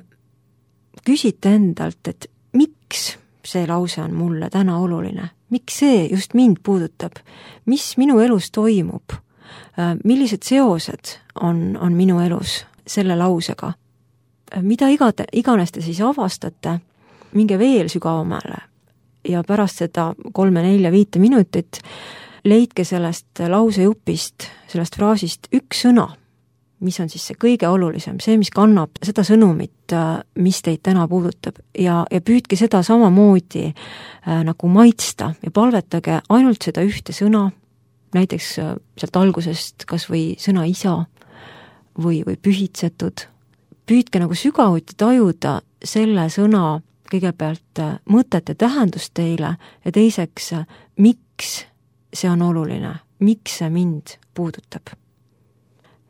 küsite endalt, et miks see lause on mulle täna oluline, miks see just mind puudutab, mis minu elus toimub, millised seosed on, on minu elus selle lausega. Mida igate, iganes te siis avastate, minge veel sügavamale ja pärast seda kolme, nelja, viite minutit leidke sellest lausejupist, sellest fraasist üks sõna, mis on siis see kõige olulisem, see, mis kannab seda sõnumit, mis teid täna puudutab ja, ja püüdke seda samamoodi äh, nagu maitsta ja palvetage ainult seda ühte sõna, näiteks äh, sealt algusest kas või sõna isa või, või pühitsetud. Püüdke nagu sügavuti tajuda selle sõna kõigepealt äh, mõtet ja tähendust teile ja teiseks, äh, miks see on oluline, miks see mind puudutab.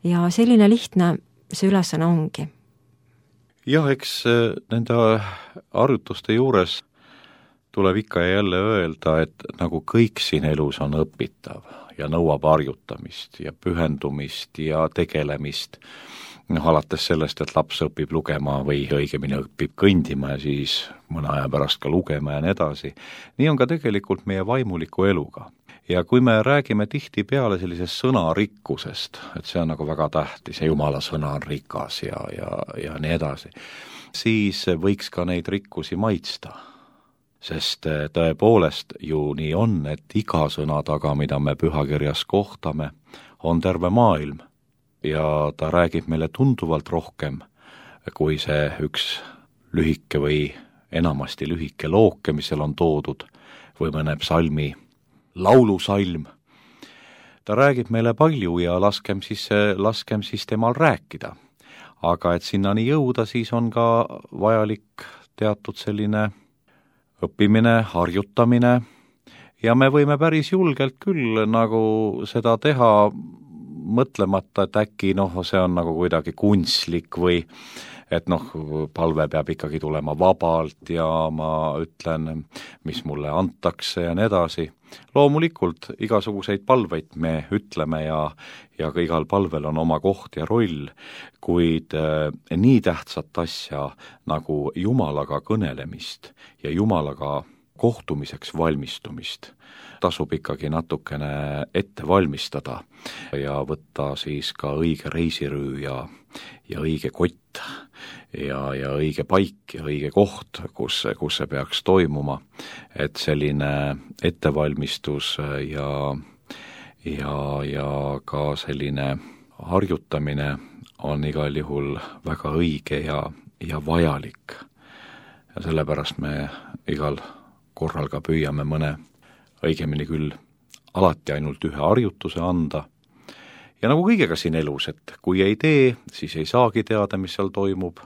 Ja selline lihtne see ülesanne ongi. Jah, eks nende harjutuste juures tuleb ikka ja jälle öelda, et nagu kõik siin elus on õpitav ja nõuab harjutamist ja pühendumist ja tegelemist. Noh, alates sellest, et laps õpib lugema või õigemini õpib kõndima ja siis mõne aja pärast ka lugema ja nii edasi. Nii on ka tegelikult meie vaimuliku eluga. Ja kui me räägime tihti peale sellisest sõnarikkusest, et see on nagu väga tähtis ja Jumala sõna on rikas ja, ja, ja nii edasi, siis võiks ka neid rikkusi maitsta. Sest tõepoolest ju nii on, et iga sõna taga, mida me pühakirjas kohtame, on terve maailm. Ja ta räägib meile tunduvalt rohkem, kui see üks lühike või enamasti lühike looke, mis seal on toodud, või mõne psalmi laulusalm. Ta räägib meile palju ja laskem siis, laskem siis temal rääkida. Aga et sinnani jõuda, siis on ka vajalik teatud selline õppimine, harjutamine ja me võime päris julgelt küll nagu seda teha mõtlemata, et äkki noh, see on nagu kuidagi kunstlik või et noh, palve peab ikkagi tulema vabalt ja ma ütlen, mis mulle antakse ja nii edasi. Loomulikult igasuguseid palveid me ütleme ja, ja ka igal palvel on oma koht ja roll, kuid äh, nii tähtsat asja nagu Jumalaga kõnelemist ja Jumalaga kohtumiseks valmistumist tasub ikkagi natukene ette valmistada ja võtta siis ka õige reisirüü ja, ja õige kott ja, ja õige paik ja õige koht, kus, kus see peaks toimuma. Et selline ettevalmistus ja, ja, ja ka selline harjutamine on igal juhul väga õige ja, ja vajalik. Ja sellepärast me igal korral ka püüame mõne õigemini küll alati ainult ühe harjutuse anda. Ja nagu kõigega siin elus, et kui ei tee, siis ei saagi teada, mis seal toimub.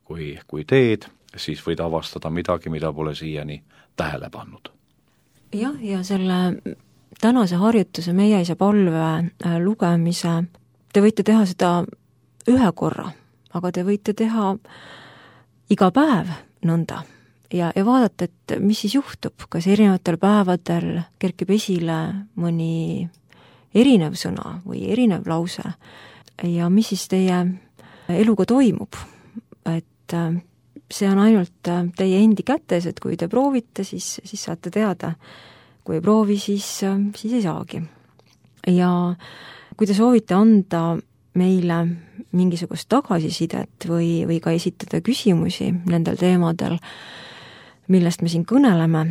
Kui, kui teed, siis võid avastada midagi, mida pole siiani tähele pannud. Jah, ja selle tänase harjutuse meie isa palve lugemise, te võite teha seda ühe korra, aga te võite teha iga päev nõnda. Ja, ja vaadata, et mis siis juhtub, kas erinevatel päevadel kerkib esile mõni erinev sõna või erinev lause ja mis siis teie eluga toimub. Et see on ainult teie endi kätes, et kui te proovite, siis, siis saate teada. Kui ei proovi, siis, siis ei saagi. Ja kui te soovite anda meile mingisugust tagasisidet või, või ka esitada küsimusi nendel teemadel, millest me siin kõneleme,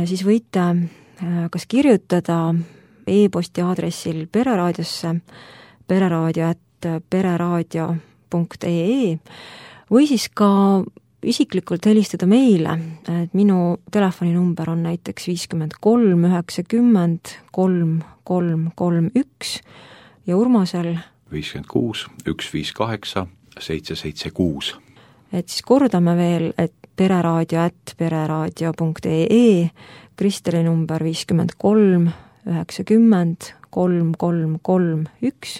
siis võite kas kirjutada e-posti aadressil pereraadiosse pereraadio at pereraadio punkt ee või siis ka isiklikult helistada meile, et minu telefoninumber on näiteks viiskümmend kolm üheksakümmend kolm kolm kolm üks ja Urmasel viiskümmend kuus üks viis kaheksa seitse seitse kuus. Et siis kordame veel, et pereraadio at pereraadio punkt ee, Kristeli number viiskümmend kolm üheksakümmend kolm kolm kolm üks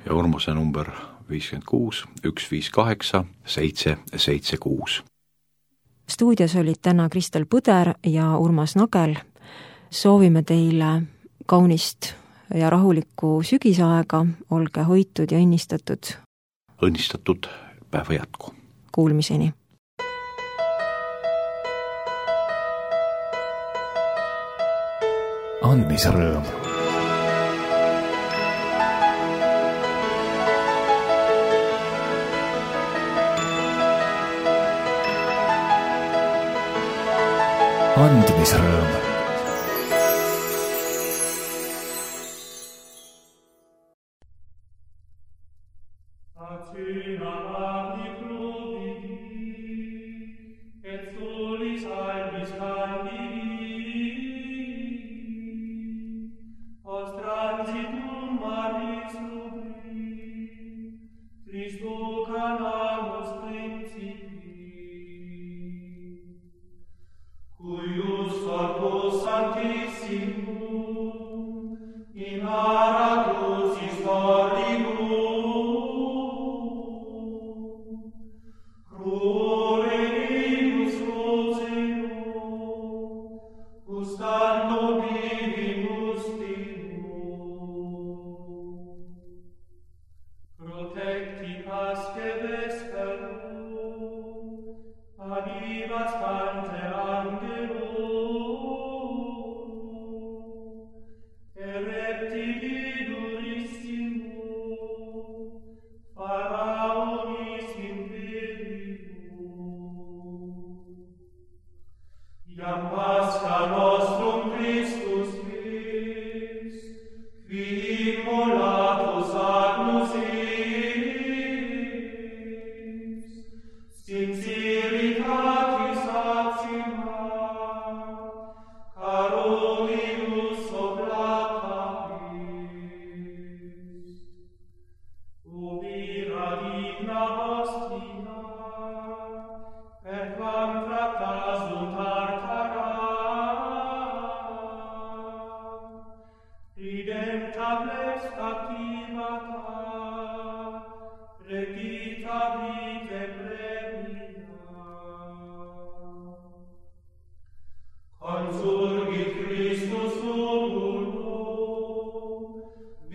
ja Urmase number viiskümmend kuus üks viis kaheksa seitse seitse kuus. Stuudios olid täna Kristel Põder ja Urmas Nagel. Soovime teile kaunist ja rahulikku sügisaega, olge hoitud ja õnnistatud. Õnnistatud päeva jätku. Kuulmiseni. Andmisrõõm. juhtimisrõõm.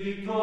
Victor